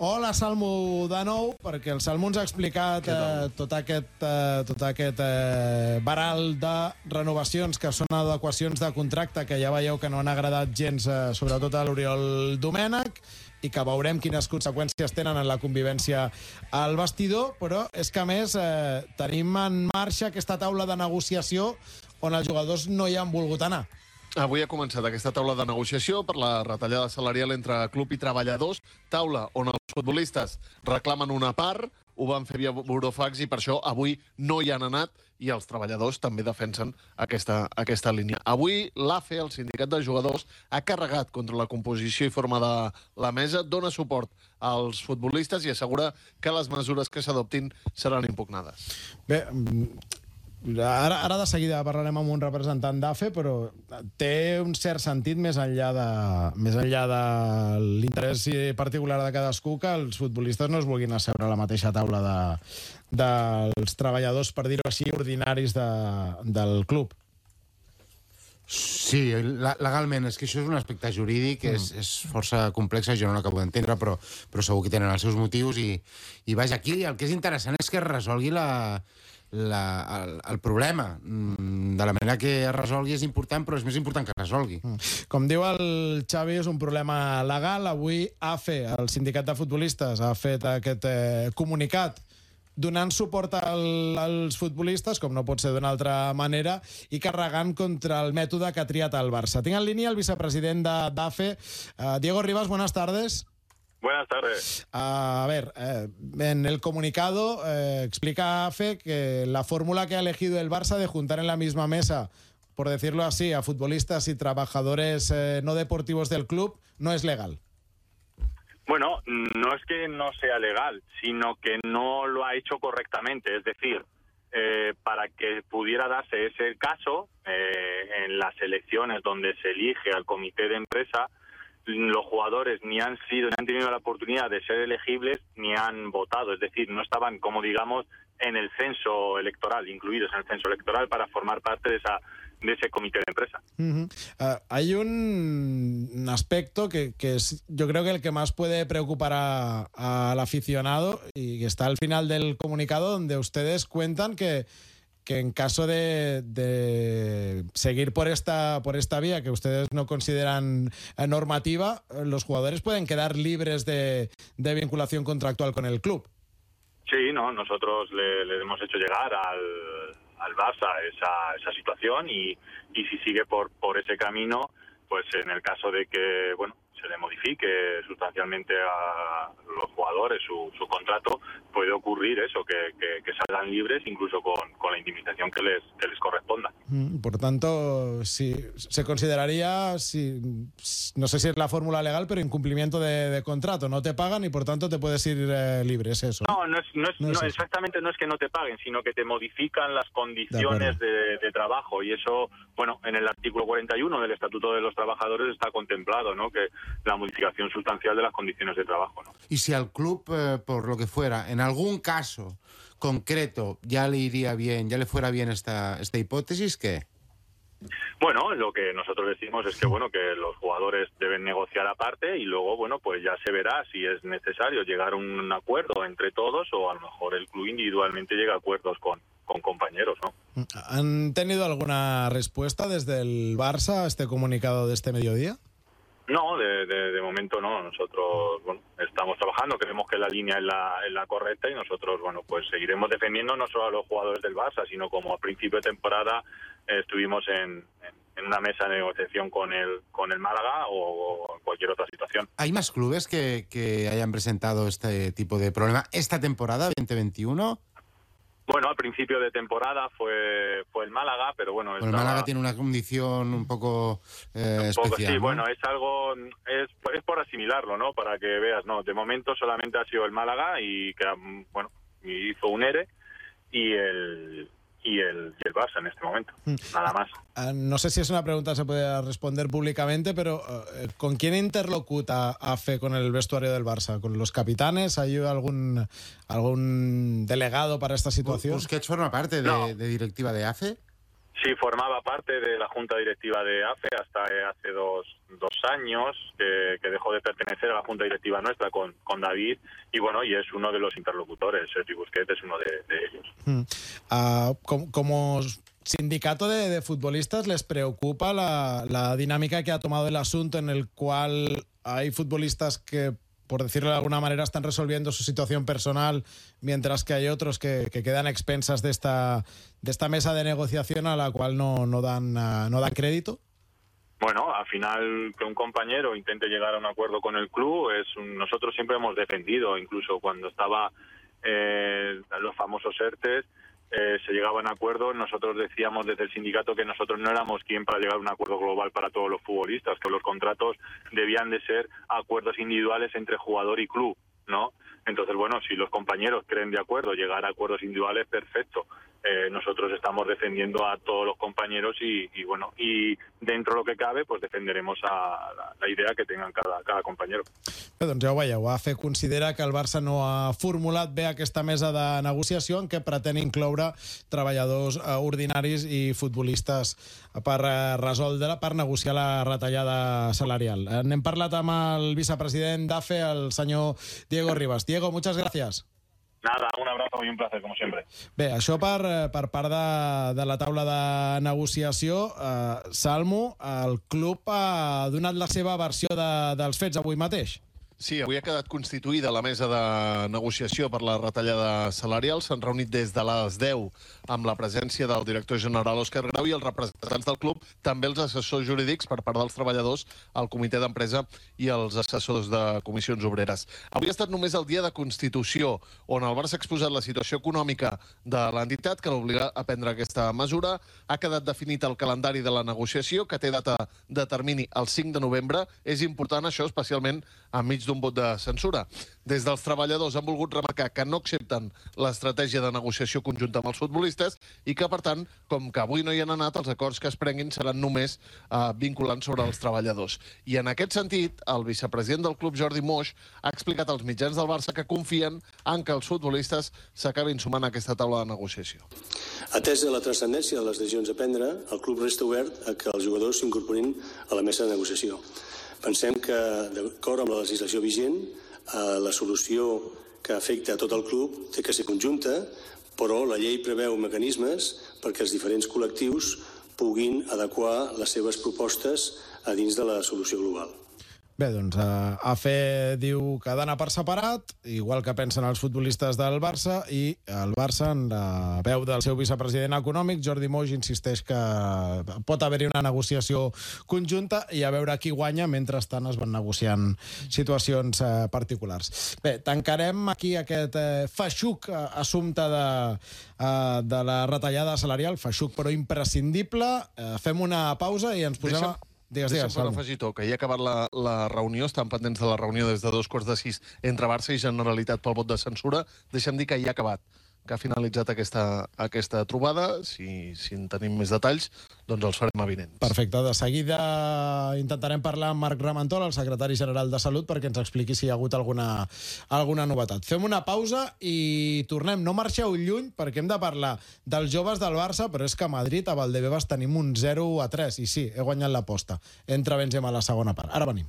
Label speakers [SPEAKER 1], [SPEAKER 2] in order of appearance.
[SPEAKER 1] Hola, Salmo, de nou, perquè el Salmo ens ha explicat tot aquest baral de renovacions que són adequacions de contracte que ja veieu que no han agradat gens, sobretot a l'Oriol Domènech, i que veurem quines conseqüències tenen en la convivència al vestidor, però és que, a més, tenim en marxa aquesta taula de negociació on els jugadors no hi han volgut anar.
[SPEAKER 2] Avui ha començat aquesta taula de negociació per la retallada salarial entre club i treballadors, taula on els futbolistes reclamen una part, ho van fer via burofax i per això avui no hi han anat i els treballadors també defensen aquesta línia. Avui l'AFE, el sindicat de jugadors, ha carregat contra la composició i forma de la mesa, dona suport als futbolistes i assegura que les mesures que s'adoptin seran impugnades.
[SPEAKER 1] Bé, ara de seguida parlarem amb un representant d'AFE, però té un cert sentit més enllà de l'interès particular de cadascú que els futbolistes no es vulguin asseure a la mateixa taula dels treballadors, per dir-ho així, ordinaris del club.
[SPEAKER 3] Sí, legalment, és que això és un aspecte jurídic, és força complex, jo no l'acabo d'entendre, però segur que tenen els seus motius i vaja, aquí el que és interessant és que es resolgui el problema. De la manera que es resolgui és important, però és més important que es resolgui.
[SPEAKER 1] Com diu el Xavi, és un problema legal. Avui AFE, el sindicat de futbolistes, ha fet aquest comunicat donant suport als futbolistes, com no pot ser d'una altra manera, i carregant contra el mètode que ha triat el Barça. Tinc en línia el vicepresident d'AFE, Diego Rivas, buenas tardes.
[SPEAKER 4] Buenas tardes.
[SPEAKER 1] A ver, en el comunicado explica AFE que la fórmula que ha elegido el Barça de juntar en la misma mesa, por decirlo así, a futbolistas y trabajadores no deportivos del club, no es legal.
[SPEAKER 4] Bueno, no es que no sea legal, sino que no lo ha hecho correctamente. Es decir, para que pudiera darse ese caso, en las elecciones donde se elige al comité de empresa, los jugadores ni han tenido la oportunidad de ser elegibles ni han votado, es decir, no estaban, como digamos, en el censo electoral, incluidos en el censo electoral para formar parte de ese comité de empresa.
[SPEAKER 1] Hay un aspecto que es, yo creo que el que más puede preocupar al aficionado y que está al final del comunicado, donde ustedes cuentan que en caso de seguir por esta vía que ustedes no consideran normativa, los jugadores pueden quedar libres de vinculación contractual con el club.
[SPEAKER 4] Sí, no, nosotros le hemos hecho llegar al Barça esa situación y si sigue por ese camino, pues en el caso de que se le modifique sustancialmente a los jugadores su contrato, puede ocurrir eso, que salgan libres incluso con la indemnización que les corresponda.
[SPEAKER 1] Por tanto, si se consideraría, no sé si es la fórmula legal, pero incumplimiento de contrato. No te pagan y por tanto te puedes ir libre, ¿es eso?
[SPEAKER 4] No, exactamente no es que no te paguen, sino que te modifican las condiciones de trabajo y eso, en el artículo 41 del Estatuto de los Trabajadores está contemplado, ¿no? Que la modificación sustancial de las condiciones de trabajo, ¿no?
[SPEAKER 3] Y si al club, por lo que fuera, en algún caso concreto ya le iría bien, ya le fuera bien esta hipótesis, ¿qué?
[SPEAKER 4] Bueno, lo que nosotros decimos es que que los jugadores deben negociar aparte y luego pues ya se verá si es necesario llegar a un acuerdo entre todos o a lo mejor el club individualmente llega a acuerdos con compañeros, ¿no?
[SPEAKER 1] ¿Han tenido alguna respuesta desde el Barça a este comunicado de este mediodía?
[SPEAKER 4] No, de momento no. Nosotros estamos trabajando, creemos que la línea es la correcta y nosotros pues seguiremos defendiendo no solo a los jugadores del Barça, sino como a principio de temporada estuvimos en una mesa de negociación con el Málaga o cualquier otra situación.
[SPEAKER 3] ¿Hay más clubes que hayan presentado este tipo de problema esta temporada 2021?
[SPEAKER 4] Al principio de temporada fue el Málaga, pero
[SPEAKER 3] el Málaga tiene una condición un poco especial.
[SPEAKER 4] Sí,
[SPEAKER 3] ¿no?
[SPEAKER 4] Es algo, es por asimilarlo, ¿no? Para que veas, no, de momento solamente ha sido el Málaga y que hizo un ERE y el Barça en este momento, nada más.
[SPEAKER 1] No sé si es una pregunta que se puede responder públicamente, pero ¿con quién interlocuta AFE con el vestuario del Barça? ¿Con los capitanes? ¿Hay algún delegado para esta situación?
[SPEAKER 3] ¿Busquets forma parte de directiva de AFE?
[SPEAKER 4] Sí, formaba parte de la junta directiva de AFE hasta hace dos años, que dejó de pertenecer a la junta directiva nuestra con David, y bueno, y es uno de los interlocutores. Sergi Busquets es uno de ellos.
[SPEAKER 1] Como sindicato de futbolistas, ¿les preocupa la dinámica que ha tomado el asunto, en el cual hay futbolistas que, por decirlo de alguna manera, están resolviendo su situación personal, mientras que hay otros que quedan a expensas de esta mesa de negociación a la cual no dan crédito?
[SPEAKER 4] Bueno, al final que un compañero intente llegar a un acuerdo con el club, nosotros siempre hemos defendido, incluso cuando estaba los famosos ERTES, se llegaban a acuerdos. Nosotros decíamos desde el sindicato que nosotros no éramos quien para llegar a un acuerdo global para todos los futbolistas, que los contratos debían de ser acuerdos individuales entre jugador y club, ¿no? Entonces, bueno, si los compañeros creen de acuerdo llegar a acuerdos individuales, perfecto. Nosotros estamos defendiendo a todos los compañeros y bueno, y dentro de lo que cabe, pues defenderemos la idea que tengan cada compañero.
[SPEAKER 1] Bé, doncs ja ho veieu, AFE considera que el Barça no ha formulat bé aquesta mesa de negociació en què pretén incloure treballadors ordinaris i futbolistes per negociar la retallada salarial. N'hem parlat amb el vicepresident d'AFE, el senyor Diego Ribas. Diego, muchas gracias.
[SPEAKER 4] Nada, un abrazo y un placer, como siempre.
[SPEAKER 1] Bé, això per part de la taula de negociació. Salmo, el club ha donat la seva versió dels fets avui mateix.
[SPEAKER 2] Sí, avui ha quedat constituïda la mesa de negociació per la retallada salarial. S'han reunit des de les 10 amb la presència del director general Òscar Grau i els representants del club, també els assessors jurídics per part dels treballadors, el comitè d'empresa i els assessors de comissions obreres. Avui ha estat només el dia de constitució, on el Barça ha exposat la situació econòmica de l'entitat que l'obliga a prendre aquesta mesura. Ha quedat definit el calendari de la negociació, que té data de termini el 5 de novembre. És important això, especialment enmig d'un vot de censura. Des dels treballadors han volgut remarcar que no accepten l'estratègia de negociació conjunta amb els futbolistes i que, per tant, com que avui no hi han anat, els acords que es prenguin seran només vinculants sobre els treballadors. I en aquest sentit, el vicepresident del club, Jordi Moix, ha explicat als mitjans del Barça que confien en que els futbolistes s'acabin sumant a aquesta taula de negociació.
[SPEAKER 5] Atesa la transcendència de les decisions a prendre, el club resta obert a que els jugadors s'incorporin a la mesa de negociació. Pensem que, d'acord amb la legislació vigent, la solució que afecta a tot el club té que ser conjunta, però la llei preveu mecanismes perquè els diferents col·lectius puguin adequar les seves propostes a dins de la solució global.
[SPEAKER 1] Bé, doncs AFE diu que ha d'anar per separat, igual que pensen els futbolistes del Barça, i el Barça, en la veu del seu vicepresident econòmic, Jordi Moix, insisteix que pot haver-hi una negociació conjunta i a veure qui guanya. Mentrestant es van negociant situacions particulars. Bé, tancarem aquí aquest feixuc assumpte de la retallada salarial, feixuc però imprescindible. Fem una pausa i ens posem...
[SPEAKER 2] Deixa'm per afegir, que ja ha acabat la reunió, estan pendents de la reunió des de 2:45 entre Barça i Generalitat pel vot de censura. Deixa'm dir que ja ha acabat, que ha finalitzat aquesta trobada. Si en tenim més detalls, doncs els farem avinents.
[SPEAKER 1] Perfecte. De seguida intentarem parlar amb Marc Ramentol, el secretari general de Salut, perquè ens expliqui si hi ha hagut alguna novetat. Fem una pausa i tornem. No marxeu lluny, perquè hem de parlar dels joves del Barça, però és que a Madrid, a Valdebebas, tenim un 0-3. I sí, he guanyat l'aposta. Entra Benzema a la segona part. Ara venim.